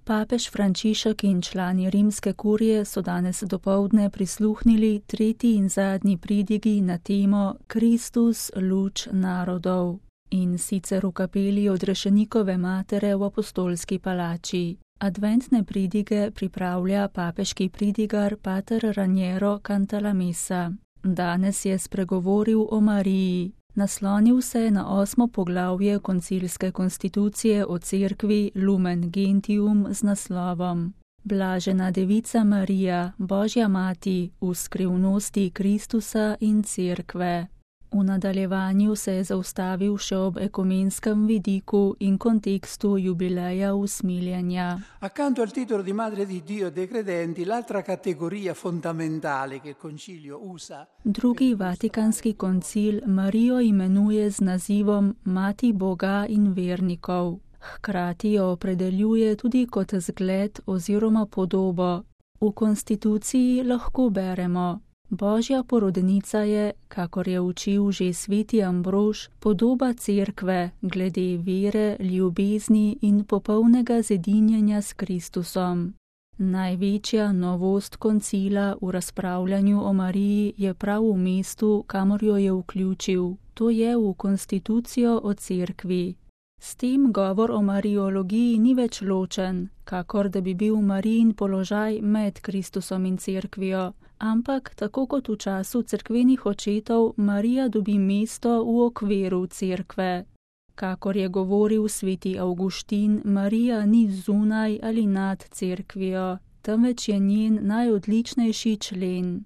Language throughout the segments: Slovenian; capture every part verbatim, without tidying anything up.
Papež Frančišek in člani rimske kurije so danes dopoldne prisluhnili tretji in zadnji pridigi na temo Kristus, luč narodov, in sicer v kapeli Odrešenikove matere v Apostolski palači. Adventne pridige pripravlja papeški pridigar pater Raniero Cantalamessa. Danes je spregovoril o Mariji. Naslonil se je na osmo poglavje koncilske konstitucije o cerkvi Lumen Gentium z naslovom Blažena devica Marija, Božja mati, v skrivnosti Kristusa in cerkve. V nadaljevanju se je zaustavil še ob ekumenskem vidiku in kontekstu jubileja usmiljenja. Accanto al titolo di Madre di Dio dei credenti, l'altra categoria fondamentale che il concilio usa. Drugi vatikanski koncil Marijo imenuje z nazivom Mati Boga in vernikov. Hkrati jo opredeljuje tudi kot zgled oziroma podobo. V konstituciji lahko beremo: Božja porodnica je, kakor je učil že sveti Ambrož, podoba cerkve glede vere, ljubezni in popolnega zedinjenja s Kristusom. Največja novost koncila v razpravljanju o Mariji je prav v mestu, kamor jo je vključil, to je v konstitucijo o cerkvi. S tem govor o mariologiji ni več ločen, kakor da bi bil Marijin položaj med Kristusom in cerkvijo, ampak tako kot v času cerkvenih očetov, Marija dobi mesto v okviru cerkve. Kakor je govoril sveti Avguštin, Marija ni zunaj ali nad cerkvijo, temveč je njen najodličnejši člen.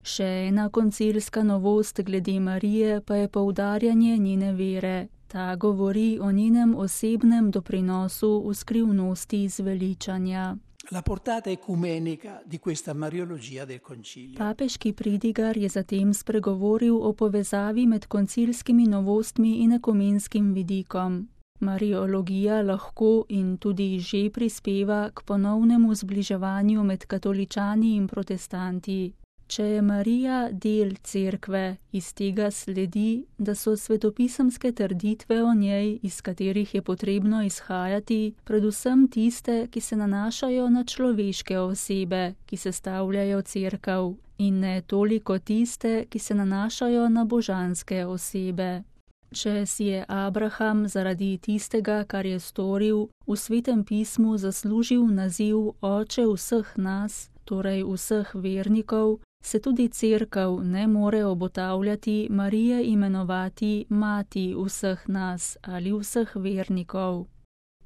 Še ena koncilska novost glede Marije pa je poudarjanje njene vere. Ta govori o njenem osebnem doprinosu v skrivnosti zveličanja. La portata ecumenica di questa mariologia del concilio. Papeški pridigar je zatem spregovoril o povezavi med koncilskimi novostmi in ekumenskim vidikom. Mariologija lahko in tudi že prispeva k ponovnemu zbliževanju med katoličani in protestanti. Če je Marija del cerkve, iz tega sledi, da so svetopisemske trditve o njej, iz katerih je potrebno izhajati, predvsem tiste, ki se nanašajo na človeške osebe, ki sestavljajo cerkev, in ne toliko tiste, ki se nanašajo na božanske osebe. Če si je Abraham zaradi tistega, kar je storil, v Svetem pismu zaslužil naziv oče vseh nas, torej vseh vernikov, se tudi cerkev ne more obotavljati Marije imenovati mati vseh nas ali vseh vernikov.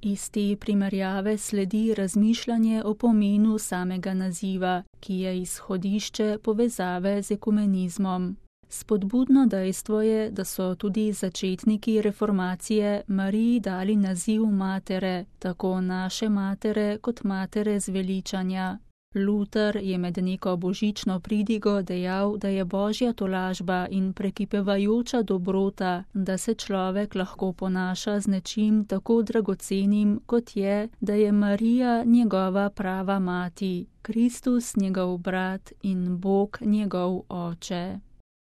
Iz te primerjave sledi razmišljanje o pomenu samega naziva, ki je izhodišče povezave z ekumenizmom. Spodbudno dejstvo je, da so tudi začetniki reformacije Mariji dali naziv matere, tako naše matere kot matere zveličanja. Luther je med neko božično pridigo dejal, da je božja tolažba in prekipevajoča dobrota, da se človek lahko ponaša z nečim tako dragocenim, kot je, da je Marija njegova prava mati, Kristus njegov brat in Bog njegov oče.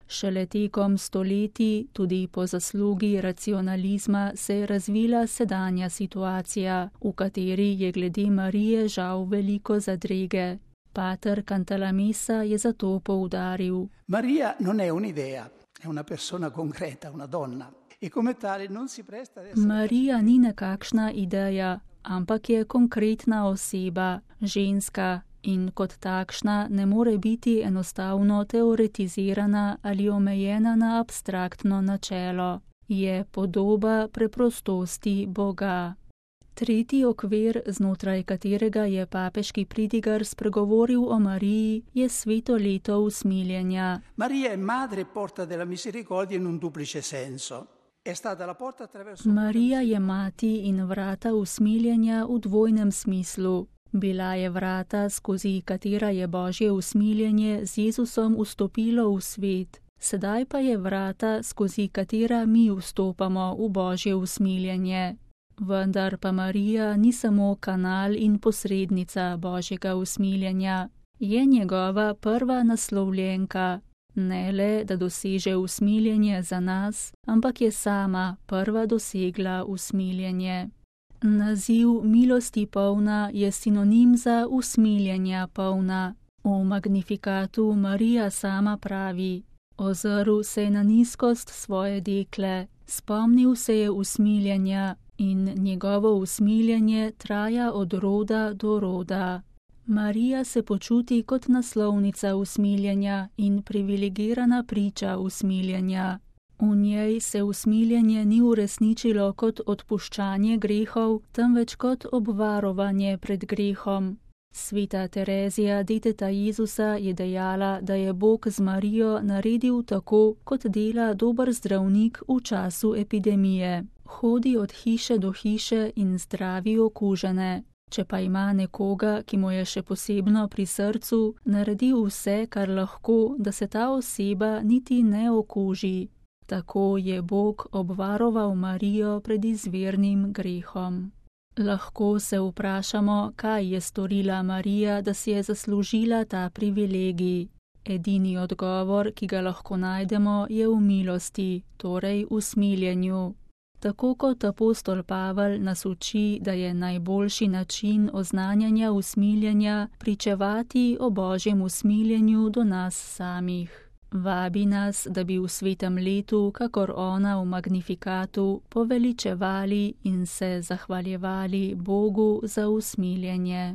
Šele tekom stoletij, tudi po zaslugi racionalizma, se je razvila sedanja situacija, v kateri je glede Marije žal veliko zadrege. Pater Cantalamessa je zato poudaril: Maria non è un'idea, è una persona concreta, una donna. E come tale non si presta ad essere... Marija ni nekakšna ideja, ampak je konkretna oseba, ženska, in kot takšna ne more biti enostavno teoretizirana ali omejena na abstraktno načelo. Je podoba preprostosti Boga. Tretji okvir, znotraj katerega je papeški pridigar spregovoril o Mariji, je sveto leto usmiljenja. Maria è madre e porta della misericordia in un duplice senso. È stata la porta attraverso... Marija je mati in vrata usmiljenja v dvojnem smislu. Bila je vrata, skozi katera je Božje usmiljenje z Jezusom vstopilo v svet. Sedaj pa je vrata, skozi katera mi vstopamo v Božje usmiljenje. Vendar pa Marija ni samo kanal in posrednica Božjega usmiljenja, je njegova prva naslovljenka. Ne le, da doseže usmiljenje za nas, ampak je sama prva dosegla usmiljenje. Naziv milosti polna je sinonim za usmiljenja polna. V Magnifikatu Marija sama pravi: ozrl se je na nizkost svoje dekle, spomnil se je usmiljenja in njegovo usmiljenje traja od roda do roda. Marija se počuti kot naslovnica usmiljenja in privilegirana priča usmiljenja. V njej se usmiljenje ni uresničilo kot odpuščanje grehov, temveč kot obvarovanje pred grehom. Sveta Terezija, deteta Jezusa, je dejala, da je Bog z Marijo naredil tako, kot dela dober zdravnik v času epidemije. Hodi od hiše do hiše in zdravi okužene. Če pa ima nekoga, ki mu je še posebno pri srcu, naredi vse, kar lahko, da se ta oseba niti ne okuži. Tako je Bog obvaroval Marijo pred izvirnim grehom. Lahko se vprašamo, kaj je storila Marija, da si je zaslužila ta privilegij. Edini odgovor, ki ga lahko najdemo, je v milosti, torej v smiljenju. Tako kot apostol Pavel nas uči, da je najboljši način oznanjanja usmiljenja pričevati o Božjem usmiljenju do nas samih. Vabi nas, da bi v svetem letu, kakor ona v Magnifikatu, poveličevali in se zahvaljevali Bogu za usmiljenje.